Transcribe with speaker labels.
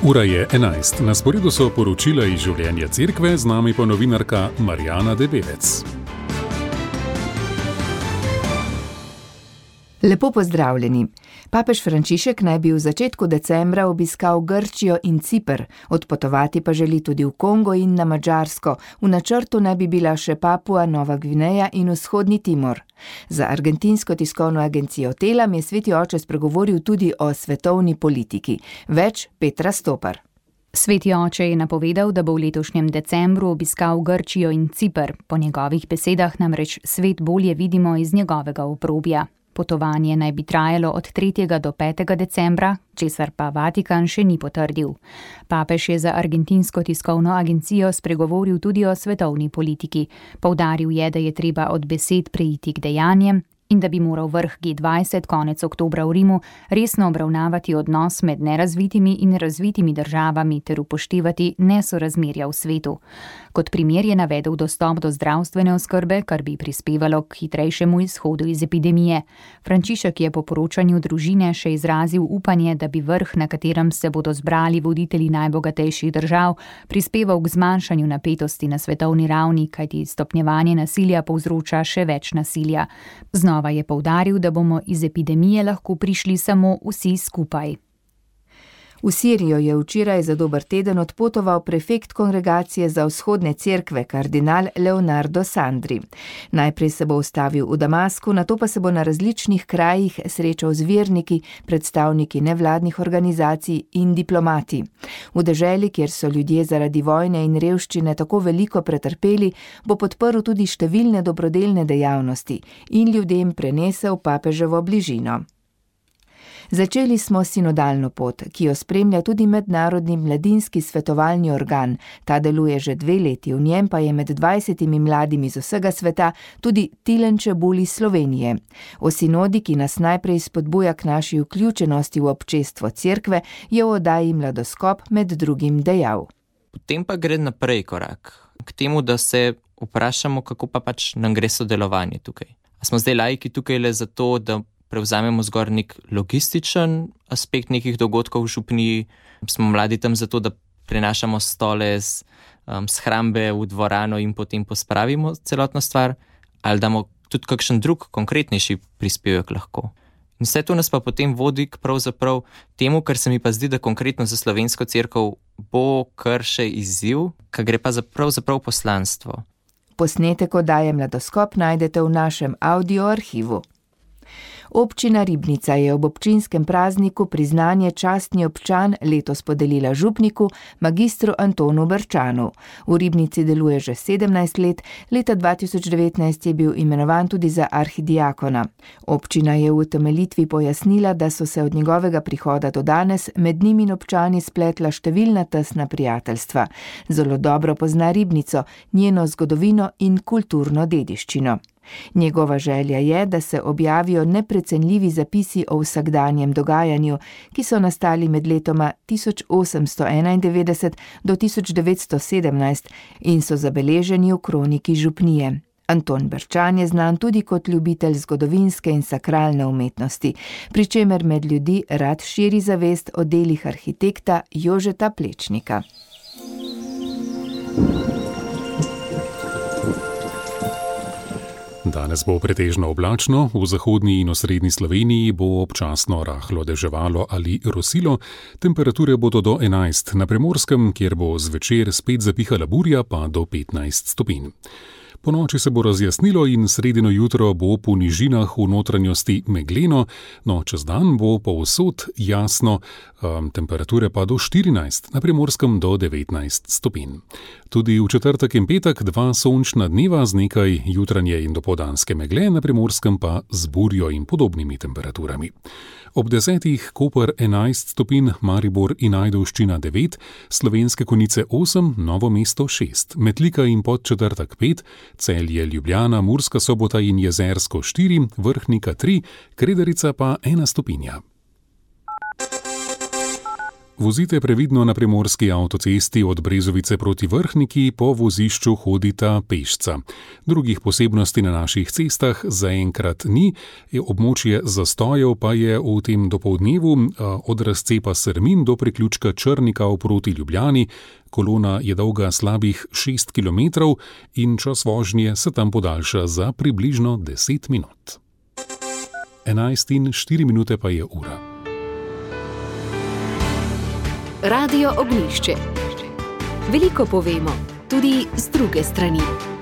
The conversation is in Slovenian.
Speaker 1: Ura je 11. Na sporedu so poročila iz življenja cerkve, z nami pa novinarka Marjana Debevec.
Speaker 2: Lepo pozdravljeni. Papež Frančišek naj bi v začetku decembra obiskal Grčijo in Ciper, odpotovati pa želi tudi v Kongo in na Madžarsko. V načrtu naj bi bila še Papua Nova Gvineja in vzhodni Timor. Za argentinsko tiskovno agencijo Telam je sveti oče spregovoril tudi o svetovni politiki. Več Petra Stopar.
Speaker 3: Sveti oče je napovedal, da bo v letošnjem decembru obiskal Grčijo in Ciper. Po njegovih besedah namreč svet bolje vidimo iz njegovega obrobja. Potovanje naj bi trajalo od 3. do 5. decembra, česar pa Vatikan še ni potrdil. Papež je za argentinsko tiskovno agencijo spregovoril tudi o svetovni politiki. Poudaril je, da je treba od besed preiti k dejanjem in da bi moral vrh G20 konec oktobra v Rimu resno obravnavati odnos med nerazvitimi in razvitimi državami ter upoštevati nesorazmerja v svetu. Kot primer je navedel dostop do zdravstvene oskrbe, kar bi prispevalo k hitrejšemu izhodu iz epidemije. Frančišek je po poročanju družine še izrazil upanje, da bi vrh, na katerem se bodo zbrali voditelji najbogatejših držav, prispeval k zmanjšanju napetosti na svetovni ravni, kajti stopnjevanje nasilja povzroča še več nasilja. Znova je poudaril, da bomo iz epidemije lahko prišli samo vsi skupaj.
Speaker 2: V Sirijo je včeraj za dober teden odpotoval prefekt kongregacije za vzhodne cerkve, kardinal Leonardo Sandri. Najprej se bo ustavil v Damasku, nato pa se bo na različnih krajih srečal z verniki, predstavniki nevladnih organizacij in diplomati. V deželi, kjer so ljudje zaradi vojne in revščine tako veliko pretrpeli, bo podprl tudi številne dobrodelne dejavnosti in ljudem prenesel papeževo bližino. Začeli smo sinodalno pot, ki jo spremlja tudi mednarodni mladinski svetovalni organ. Ta deluje že 2 leti, v njem pa je med 20 mladimi z vsega sveta tudi Tilen Čebul iz Slovenije. O sinodi, ki nas najprej spodbuja k naši vključenosti v občestvo cerkve, je v oddaji Mladoskop med drugim dejal.
Speaker 4: Potem pa gre naprej korak k temu, da se vprašamo, kako pa nam gre sodelovanje tukaj. A smo zdaj laiki tukaj le zato, da prevzamemo zgor nek logističen aspekt nekih dogodkov v župniji, smo mladi tam zato, da prenašamo stole z shrambe v dvorano in potem pospravimo celotno stvar, ali damo tudi kakšen drug konkretnejši prispevek lahko. In vse to nas pa potem vodi k pravzaprav temu, kar se mi pa zdi, da konkretno za slovensko cerkev bo kar še izziv, kar gre pa za pravzaprav poslanstvo.
Speaker 2: Posnetek oddaje Mladoskop najdete v našem audio arhivu. Občina Ribnica je ob občinskem prazniku priznanje častni občan letos podelila župniku magistru Antonu Brčanu. V Ribnici deluje že 17 let, leta 2019 je bil imenovan tudi za arhidiakona. Občina je v utemeljitvi pojasnila, da so se od njegovega prihoda do danes med njimi in občani spletla številna tesna prijateljstva. Zelo dobro pozna Ribnico, njeno zgodovino in kulturno dediščino. Njegova želja je, da se objavijo neprecenljivi zapisi o vsakdanjem dogajanju, ki so nastali med letoma 1891 do 1917 in so zabeleženi v kroniki župnije. Anton Brčan je znan tudi kot ljubitelj zgodovinske in sakralne umetnosti, pri čemer med ljudi rad širi zavest o delih arhitekta Jožeta Plečnika.
Speaker 1: Danes bo pretežno oblačno, v zahodni in osrednji Sloveniji bo občasno rahlo deževalo ali rosilo, temperature bodo do 11, na Primorskem, kjer bo zvečer spet zapihala burja, pa do 15 stopinj. Po noči se bo razjasnilo in sredino jutro bo po nižinah v notranjosti megleno, no čez dan bo povsod jasno, temperature pa do 14, na Primorskem do 19 stopinj. Tudi v četrtek in petek 2 sončna dneva z nekaj jutranje in dopoldanske megle, na Primorskem pa z burjo in podobnimi temperaturami. Ob 10 Koper 11 stopinj, Maribor in Ajdovščina 9, Slovenske Konjice 8, Novo mesto 6, Metlika in Podčetrtek 5, Celje, Ljubljana, Murska Sobota in Jezersko 4, Vrhnika 3, Kredarica pa 1 stopinja. Vozite previdno na primorski avtocesti od Brezovice proti Vrhniki, po vozišču hodita pešca. Drugih posebnosti na naših cestah zaenkrat ni, območje zastojev pa je v tem dopoldnevu od razcepa Srmin do priključka Črnika proti Ljubljani. Kolona je dolga slabih 6 km in čas vožnje se tam podaljša za približno 10 minut. 11:04 pa je ura.
Speaker 5: Radio Ognjišče. Veliko povemo, tudi z druge strani.